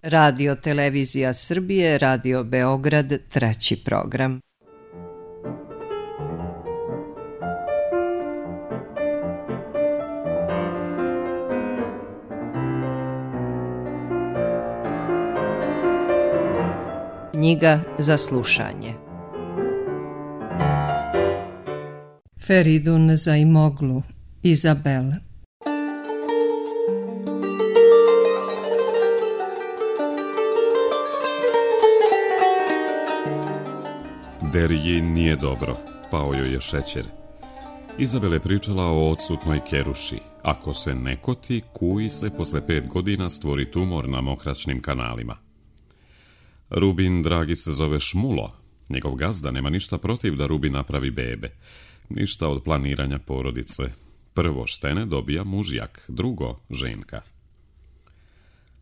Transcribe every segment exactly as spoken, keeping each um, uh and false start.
Radio Televizija Srbije, Radio Beograd, treći program. Knjiga za slušanje. Feridun Zaimoglu, Izabel. Deriji nije dobro, pao joj je šećer. Izabel je pričala o odsutnoj keruši. Ako se ne koti, kuji se posle pet godina stvori tumor na mokraćnim kanalima. Rubin, dragi, se zove Šmulo. Njegov gazda nema ništa protiv da Rubin napravi bebe. Ništa od planiranja porodice. Prvo štene dobija mužjak, drugo ženka.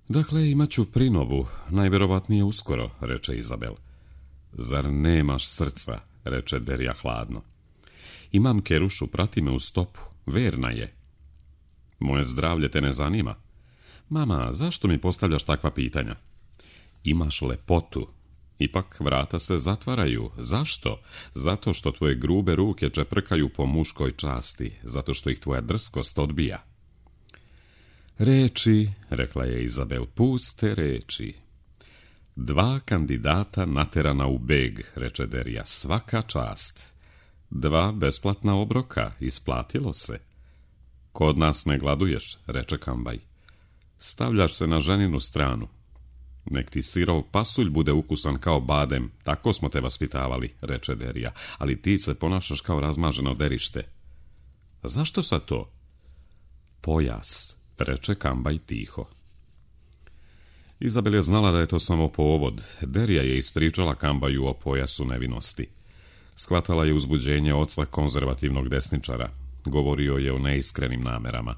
Dakle, imat ću prinovu, najverovatnije uskoro, reče Izabel. Zar nemaš srca, reče Derija hladno. Imam kerušu, prati me u stopu, verna je. Moje zdravlje te ne zanima. Mama, zašto mi postavljaš takva pitanja? Imaš lepotu. Ipak vrata se zatvaraju. Zašto? Zato što tvoje grube ruke čeprkaju po muškoj časti, zato što ih tvoja drskost odbija. Reči, rekla je Izabel, puste reči. Dva kandidata naterana u beg, reče Derija, svaka čast. Dva besplatna obroka, isplatilo se. Kod nas ne gladuješ, reče Kambaj. Stavljaš se na ženinu stranu. Nek ti sirov pasulj bude ukusan kao badem, tako smo te vaspitavali, reče Derija, ali ti se ponašaš kao razmaženo derište. Zašto sad to? Pojas, reče Kambaj tiho. Izabel je znala da je to samo povod. Derija je ispričala Kambaju o pojasu nevinosti. Shvatala je uzbuđenje oca konzervativnog desničara. Govorio je o neiskrenim namerama.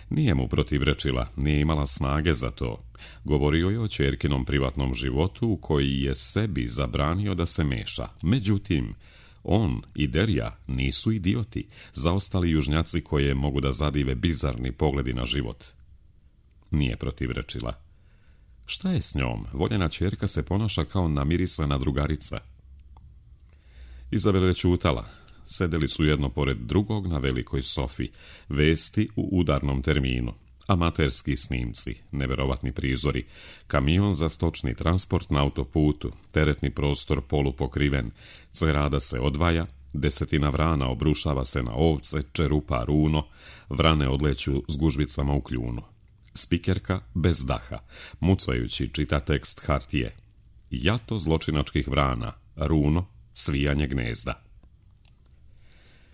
Nije mu protivrečila, nije imala snage za to. Govorio je o ćerkinom privatnom životu u koji je sebi zabranio da se meša. Međutim, on i Derija nisu idioti, zaostali južnjaci koje mogu da zadive bizarni pogledi na život. Nije protivrečila. Šta je s njom? Voljena ćerka se ponaša kao namirisana drugarica. Izabel je ćutala. Sedeli su jedno pored drugog na velikoj sofi. Vesti u udarnom terminu. Amaterski snimci, neverovatni prizori. Kamion za stočni transport na autoputu. Teretni prostor polupokriven. Cerada se odvaja. Desetina vrana obrušava se na ovce, čerupa runo. Vrane odleću s gužvicama u kljunu. Spikerka bez daha, mucajući čita tekst hartije. Jato zločinačkih vrana, runo, svijanje gnezda.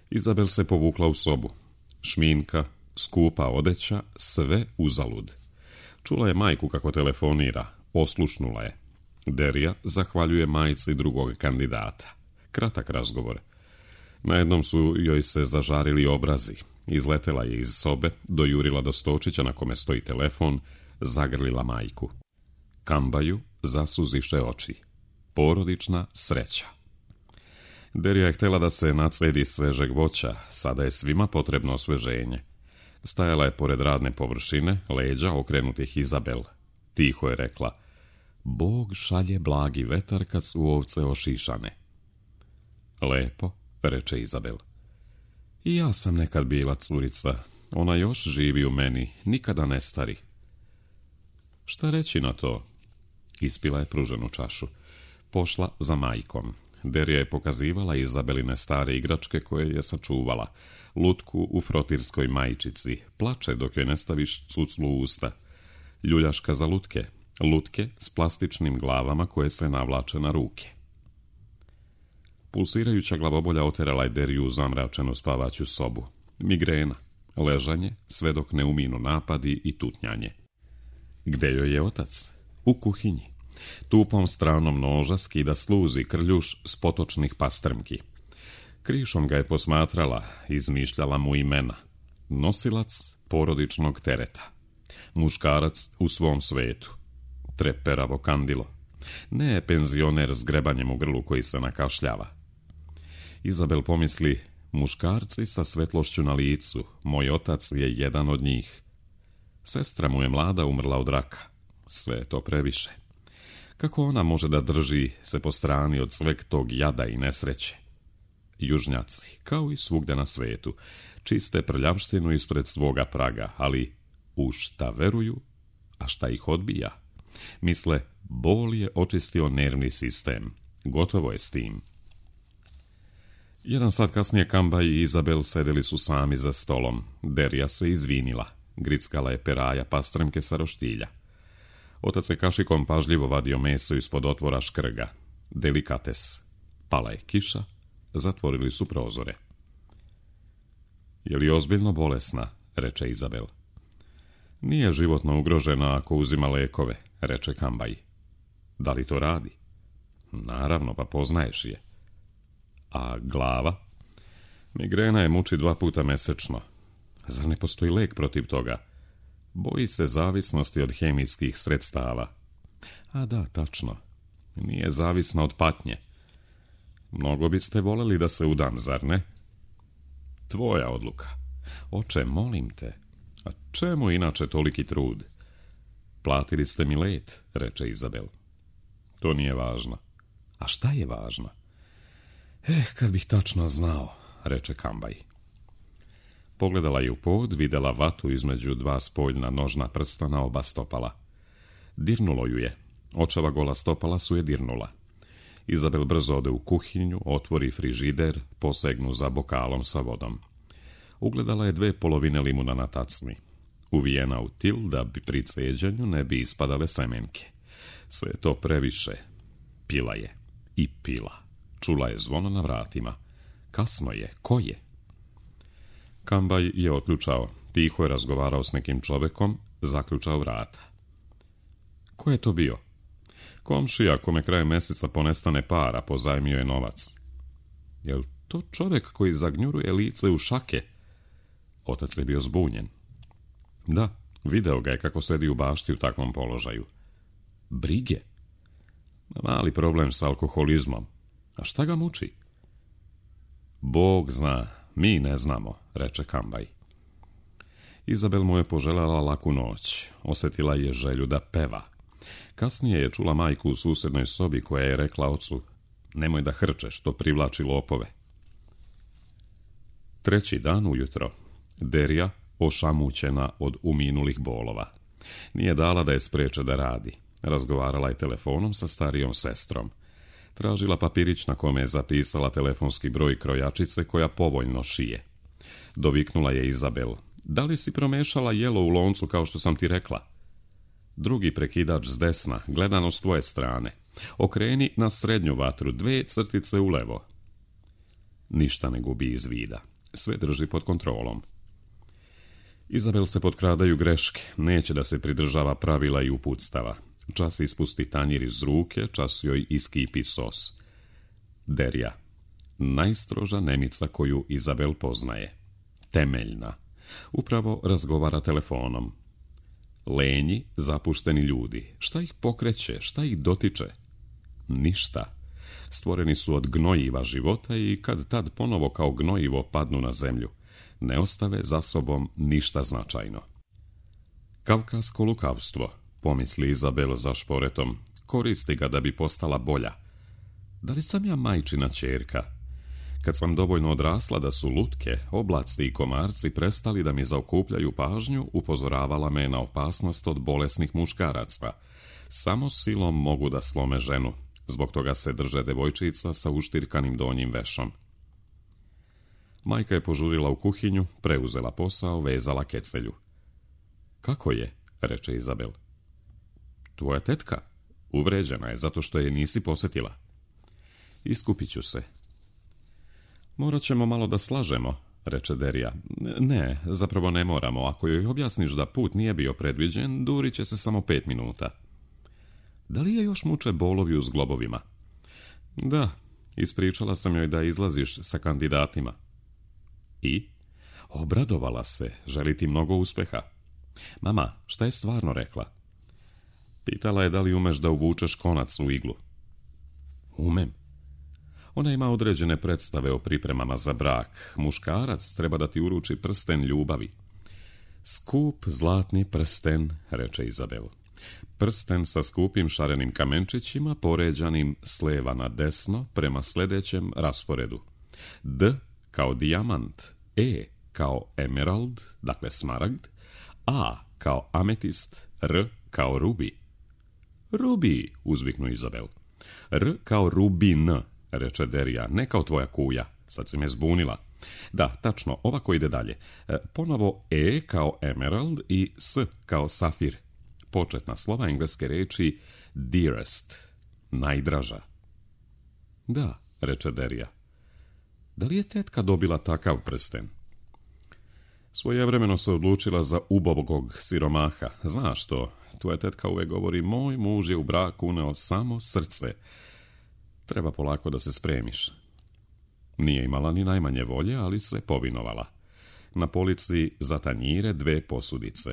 Izabel se povukla u sobu. Šminka, skupa odeća, sve uzalud. Čula je majku kako telefonira, oslušnula je. Derija zahvaljuje majci drugog kandidata. Kratak razgovor. Najednom su joj se zažarili obrazi. Izletela je iz sobe, dojurila do stočića na kome stoji telefon, zagrlila majku. Kambaju zasuziše oči. Porodična sreća. Derija je htjela da se nacedi svežeg voća, sada je svima potrebno osveženje. Stajala je pored radne površine, leđa okrenutih Izabel. Tiho je rekla, Bog šalje blagi vetar kad su ovce ošišane. Lepo, reče Izabel. I ja sam nekad bila curica. Ona još živi u meni, nikada ne stari. Šta reći na to? Ispila je pruženu čašu. Pošla za majkom. Derija je pokazivala Izabeline stare igračke koje je sačuvala. Lutku u frotirskoj majčici. Plače dok joj ne staviš cuclu u usta. Ljuljaška za lutke. Lutke s plastičnim glavama koje se navlače na ruke. Pulsirajuća glavobolja oterala je Deriju u zamračenu spavaću sobu. Migrena, ležanje, sve dok ne uminu napadi i tutnjanje. Gde joj je otac? U kuhinji. Tupom stranom noža skida sluzi krljuš s potočnih pastrmki. Krišom ga je posmatrala, izmišljala mu imena. Nosilac porodičnog tereta. Muškarac u svom svetu. Treperavo kandilo. Ne penzioner s grebanjem u grlu koji se nakašljava. Izabel pomisli, muškarci sa svetlošću na licu, moj otac je jedan od njih. Sestra mu je mlada umrla od raka. sve je to previše. Kako ona može da drži se po strani od sveg tog jada i nesreće? Južnjaci, kao i svugde na svetu, čiste prljavštinu ispred svoga praga, ali u šta veruju, a šta ih odbija? Misle, bol je očistio nervni sistem. Gotovo je s tim. Jedan sat kasnije Kambaj i Izabel sedeli su sami za stolom. Derija se izvinila. Grickala je peraja pastremke sa roštilja. Otac je kašikom pažljivo vadio meso ispod otvora škrga. Delikates. Pala je kiša. Zatvorili su prozore. Je li ozbiljno bolesna? Reče Izabel. Nije životno ugrožena ako uzima lekove, reče Kambaj. Da li to radi? Naravno, pa poznaješ je. A glava? Migrena je muči dva puta mesečno. Zar ne postoji lek protiv toga? Boji se zavisnosti od hemijskih sredstava. A da, tačno. Nije zavisna od patnje. Mnogo biste voljeli da se udam, zar ne? Tvoja odluka. Oče, molim te. A čemu inače toliki trud? Platili ste mi let, reče Izabel. To nije važno. A šta je važno? Eh, kad bih tačno znao, reče Kambaj. Pogledala je u pod, videla vatu između dva spoljna nožna prsta na oba stopala. Dirnulo ju je. Očeva gola stopala su je dirnula. Izabel brzo ode u kuhinju, otvori frižider, posegnu za bokalom sa vodom. Ugledala je dve polovine limuna na tacni. Uvijena u til da bi pri ceđenju ne bi ispadale semenke. Sve je to previše. Pila je. I pila. Čula je zvono na vratima. Kasno je. Ko je? Kambaj je otključao. Tiho je razgovarao s nekim čovekom, zaključao vrata. Ko je to bio? Komšija, kome krajem mjeseca ponestane para, pozajmio je novac. Jel to čovjek koji zagnjuruje lice u šake? Otac je bio zbunjen. Da, video ga je kako sedi u bašti u takvom položaju. Brige? Mali problem s alkoholizmom. A šta ga muči? Bog zna, mi ne znamo, reče Kambaj. Izabel mu je poželjela laku noć. Osjetila je želju da peva. Kasnije je čula majku u susjednoj sobi koja je rekla ocu: nemoj da hrčeš, to privlači lopove. Treći dan ujutro. Derija, ošamućena od uminulih bolova. Nije dala da je spreče da radi. Razgovarala je telefonom sa starijom sestrom. Tražila papirić na kome je zapisala telefonski broj krojačice koja povoljno šije. Doviknula je Izabel: da li si promešala jelo u loncu kao što sam ti rekla? Drugi prekidač s desna, gledano s tvoje strane. Okreni na srednju vatru, dve crtice u levo. Ništa ne gubi iz vida. Sve drži pod kontrolom. Izabel se potkradaju greške. Neće da se pridržava pravila i uputstava. Čas ispusti tanjir iz ruke, čas joj iskipi sos. Derija. Najstroža Nemica koju Izabel poznaje. Temeljna. Upravo razgovara telefonom. Lenji, zapušteni ljudi. Šta ih pokreće, šta ih dotiče? Ništa. Stvoreni su od gnojiva života i kad tad ponovo kao gnojivo padnu na zemlju. Ne ostave za sobom ništa značajno. Kavkasko lukavstvo, pomisli Izabel za šporetom, koristi ga da bi postala bolja. Da li sam ja majčina ćerka? Kad sam dovoljno odrasla da su lutke, oblaci i komarci prestali da mi zaokupljaju pažnju, upozoravala me na opasnost od bolesnih muškaraca. Samo silom mogu da slome ženu. Zbog toga se drže devojčica sa uštirkanim donjim vešom. Majka je požurila u kuhinju, preuzela posao, vezala kecelju. Kako je? Reče Izabel. Tvoja tetka? Uvređena je zato što je nisi posjetila. Iskupit ću se. Morat ćemo malo da slažemo, reče Derija. Ne, zapravo ne moramo. Ako joj objasniš da put nije bio predviđen, durit će se samo pet minuta. Da li je još muče bolovi u zglobovima? Da, ispričala sam joj da izlaziš sa kandidatima. I? Obradovala se, želi ti mnogo uspeha. Mama, šta je stvarno rekla? Pitala je da li umeš da uvučeš konac u iglu. Umem. Ona ima određene predstave o pripremama za brak. Muškarac treba da ti uruči prsten ljubavi. Skup zlatni prsten, reče Izabel. Prsten sa skupim šarenim kamenčićima poređanim s lijeva na desno prema sljedećem rasporedu. D kao dijamant, E kao emerald, dakle smaragd, A kao ametist, R kao rubi. Rubi, uzviknu Izabel. R kao rubin, reče Derija, ne kao tvoja kuja. Sad si me zbunila. Da, tačno, ovako ide dalje. E, ponovo E kao emerald i S kao safir. Početna slova engleske reči dearest, najdraža. Da, reče Derija. Da li je tetka dobila takav prsten? Svojevremeno se odlučila za ubogog siromaha. Znaš što, tvoja tetka uvijek govori, moj muž je u braku uneo samo srce. Treba polako da se spremiš. Nije imala ni najmanje volje, ali se povinovala. Na polici za tanjire dve posudice.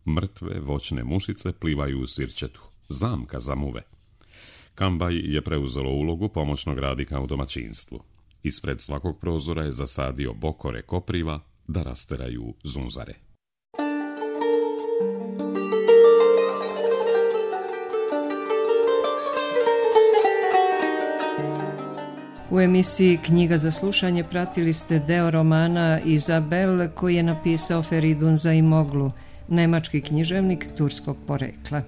Mrtve voćne mušice plivaju u sirćetu. Zamka za muve. Kambaj je preuzelo ulogu pomoćnog radnika u domaćinstvu. Ispred svakog prozora je zasadio bokore kopriva da rasteraju zunzare. U emisiji Knjiga za slušanje pratili ste deo romana Izabel koji je napisao Feridun Zaimoglu, nemački književnik turskog porekla.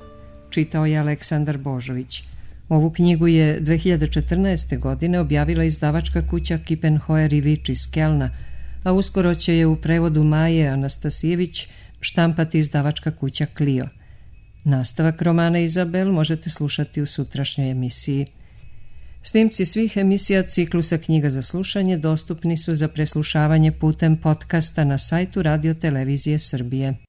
Čitao je Aleksandar Božović. Ovu knjigu je dve hiljade četrnaeste. godine objavila izdavačka kuća Kippenhoer i Vič iz Kelna, a uskoro će je u prevodu Maje Anastasijević štampati izdavačka kuća Clio. Nastavak romana Izabel možete slušati u sutrašnjoj emisiji. Snimci svih emisija ciklusa Knjiga za slušanje dostupni su za preslušavanje putem podcasta na sajtu Radio Televizije Srbije.